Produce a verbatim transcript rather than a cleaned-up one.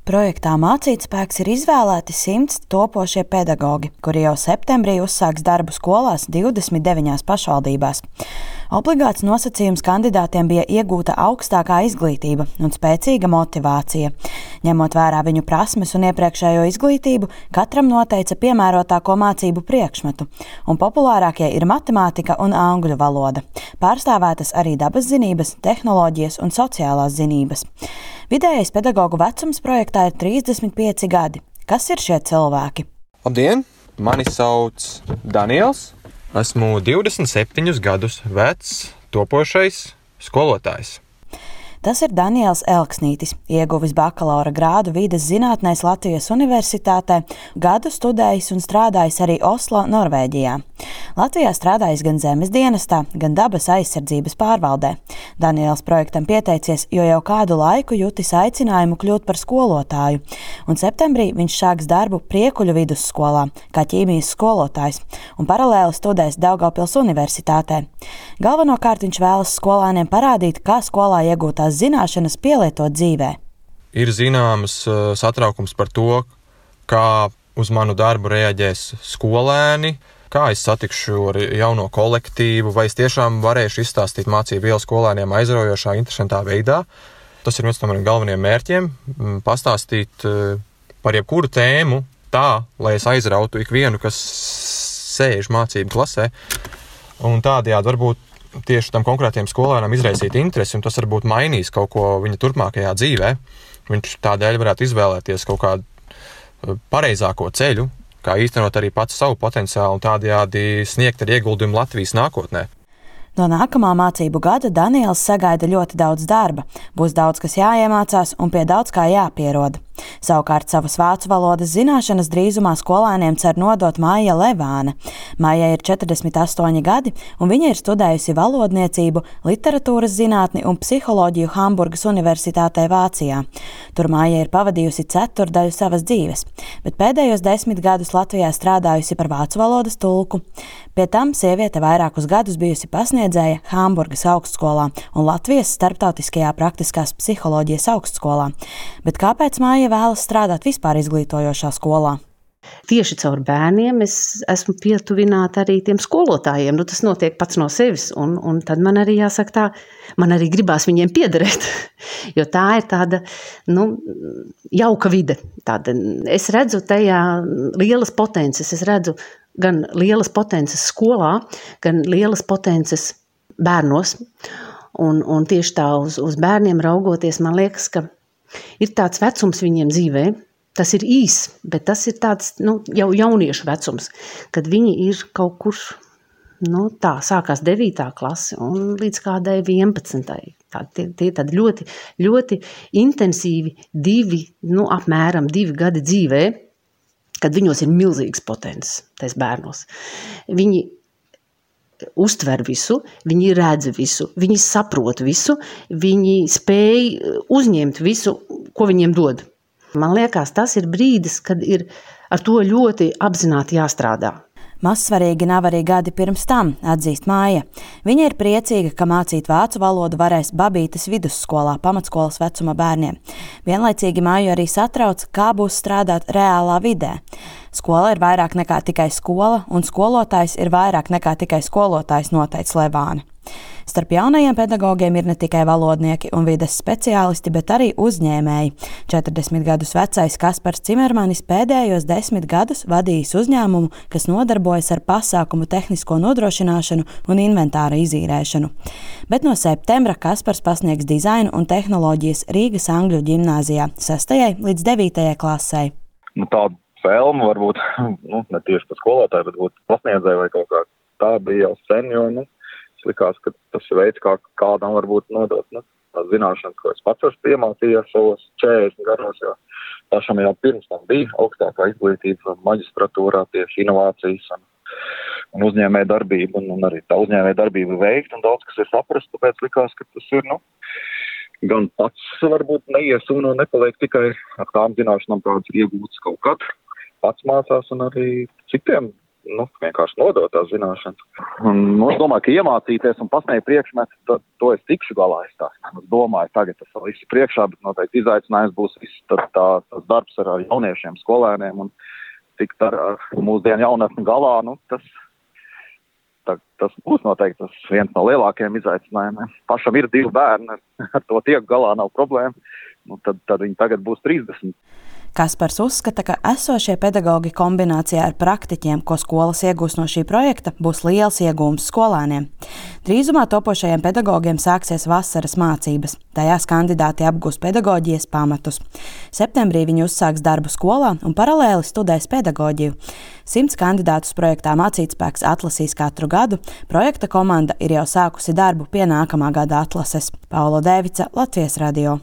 Projektā Mācītspēks ir izvēlēti simts topošie pedagogi, kuri jau septembrī uzsāks darbu skolās divdesmit deviņās pašvaldībās. Obligāts nosacījums kandidātiem bija iegūta augstākā izglītība un spēcīga motivācija. Ņemot vērā viņu prasmes un iepriekšējo izglītību, katram noteica piemērotāko mācību priekšmetu, un populārākie ir matemātika un angļu valoda. Pārstāvētas arī dabas zinības, tehnoloģijas un sociālās zinības. Vidējais pedagogu vecums projektā ir trīsdesmit pieci gadi. Kas ir šie cilvēki? Labdien! Mani sauc Daniels. Esmu divdesmit septiņus gadus vecs topošais skolotājs. Tas ir Daniels Elksnītis, ieguvis bakalaura grādu vides zinātnēs Latvijas Universitātē, gadu studējis un strādājis arī Oslo, Norvēģijā. Latvijā strādājis gan zemes dienestā, gan dabas aizsardzības pārvaldē. Daniels projektam pieteicies, jo jau kādu laiku jutis aicinājumu kļūt par skolotāju, un septembrī viņš sāks darbu Priekuļu vidusskolā, kā ķīmijas skolotājs, un paralēli studēs Daugavpils Universitātē. Galvenokārt viņš vēlas skolēniem parādīt, kā skolā iegūtās zināšanas pielietot dzīvē. Ir zināms satraukums par to, kā uz manu darbu reaģēs skolēni, kā es satikšu ar jauno kolektīvu, vai es tiešām varēšu izstāstīt mācību vielu skolēniem aizraujošā, interesantā veidā. Tas ir viens no maniem galvenajiem mērķiem – pastāstīt par jebkuru tēmu tā, lai es aizrautu ikvienu, kas sēž mācību klasē. Un tādējādi varbūt tieši tam konkrētiem skolēnam izraisīt interesi, un tas varbūt mainīs kaut ko viņa turpmākajā dzīvē. Viņš tādēļ varētu izvēlēties kaut kādu pareizāko ceļu, kā īstenot arī pats savu potenciālu un tādējādi sniegt ar ieguldījumu Latvijas nākotnē. No nākamā mācību gada Daniels sagaida ļoti daudz darba. Būs daudz, kas jāiemācās un pie daudz kā jāpieroda. Savukārt savas vācu valodas zināšanas drīzumā skolēniem cer nodot Maija Levāne. Maija ir četrdesmit astoņi gadi, un viņa ir studējusi valodniecību, literatūras zinātni un psiholoģiju Hamburgas Universitātē Vācijā. Tur Maija ir pavadījusi ceturdaļu savas dzīves, bet pēdējos desmit gadus Latvijā strādājusi par vācu valodas tulku. Pie tam sieviete vairākus gadus bijusi pasniedzēja Hamburgas augstskolā un Latvijas starptautiskajā praktiskās psiholoģijas augstskolā. Bet kāpēc Maija vēlas strādāt vispār izglītojošā skolā? Tieši caur bērniem es esmu pietuvināta arī tiem skolotājiem. Nu, tas notiek pats no sevis, un, un tad man arī jāsaka tā, man arī gribās viņiem piederēt, jo tā ir tāda, nu, jauka vide. Tāda, es redzu tajā lielas potences, es redzu gan lielas potences skolā, gan lielas potences bērnos, un, un tieši tā uz, uz bērniem raugoties, man liekas, ka ir tāds vecums viņiem dzīvē. Tas ir īs, bet tas ir tāds, nu, jau jauniešu vecums, kad viņi ir kaut kur, nu, tā, sākās devītā klase un līdz kādai vienpadsmitai. Tā, tie, tie tādi ļoti, ļoti intensīvi divi, nu, apmēram divi gadi dzīvē, kad viņos ir milzīgs potenciāls, tais bērnos. Viņi uztver visu, viņi redz visu, viņi saprot visu, viņi spēj uzņemt visu, ko viņiem dod. Man liekas, tas ir brīdis, kad ir ar to ļoti apzināti jāstrādā. Mazsvarīgi nav arī gadi pirms tam, atzīst Maija. Viņa ir priecīga, ka mācīt vācu valodu varēs Babītes vidusskolā pamatskolas vecuma bērniem. Vienlaicīgi Maiju arī satrauc, kā būs strādāt reālā vidē. Skola ir vairāk nekā tikai skola, un skolotājs ir vairāk nekā tikai skolotājs, noteica Levāne. Starp jaunajiem pedagogiem ir ne tikai valodnieki un vides speciālisti, bet arī uzņēmēji. četrdesmit gadus vecais Kaspars Cimermanis pēdējos desmit gadus vadījis uzņēmumu, kas nodarbojas ar pasākumu tehnisko nodrošināšanu un inventāra izīrēšanu. Bet no septembra Kaspars pasniegs dizainu un tehnoloģijas Rīgas Angļu ģimnāzijā sestajai līdz devītajai klasei. Nu, tāda vēlme varbūt, nu, ne tieši par skolotāju, bet būt pasniedzēju vai kaut kā tā bija jau sen, jo, nu, likās, ka tas ir veids, kā kādam varbūt nodot, nu, tās zināšanas, ko es pats esmu iemācījies savos četrdesmit gados, jo pašam jau pirms tam bija augstākā izglītība maģistratūrā tieši inovācijas un, un uzņēmēja darbība, un, un arī tā uzņēmēja darbība veikt, un daudz, kas ir saprast, tāpēc likās, ka tas ir, nu, gan pats varbūt neiesūna un nepaliek tikai ar tām zināšanām, kādas ir iegūtas kaut kad, pats mācās un arī citiem nu, vienkārši nodot tās zināšanas. Un, nu, es domāju, ka iemācīties un pasniegt priekšmetu, to, to es tikšu galā. Es, tā, es domāju, tagad tas vēl viss priekšā, bet noteikti izaicinājums būs viss tā, tā, tas darbs ar jauniešiem, skolēniem un tikt ar, ar mūsdienu jaunatni galā. Nu, tas, tā, tas būs noteikti tas viens no lielākajiem izaicinājumiem. Pašam ir divi bērni, ar to tiek galā, nav problēma. Nu, tad, tad viņi tagad būs trīsdesmit. Kaspars uzskata, ka esošie pedagogi kombinācijā ar praktiķiem, ko skolas iegūs no šī projekta, būs liels iegūms skolēniem. Drīzumā topošajiem pedagogiem sāksies vasaras mācības. Tajās kandidāti apgūs pedagoģijas pamatus. Septembrī viņi uzsāks darbu skolā un paralēli studēs pedagoģiju. Simts kandidātus projektā Mācītspēks atlasīs katru gadu. Projekta komanda ir jau sākusi darbu pie nākamā gada atlases. Paula Dēvica, Latvijas radio.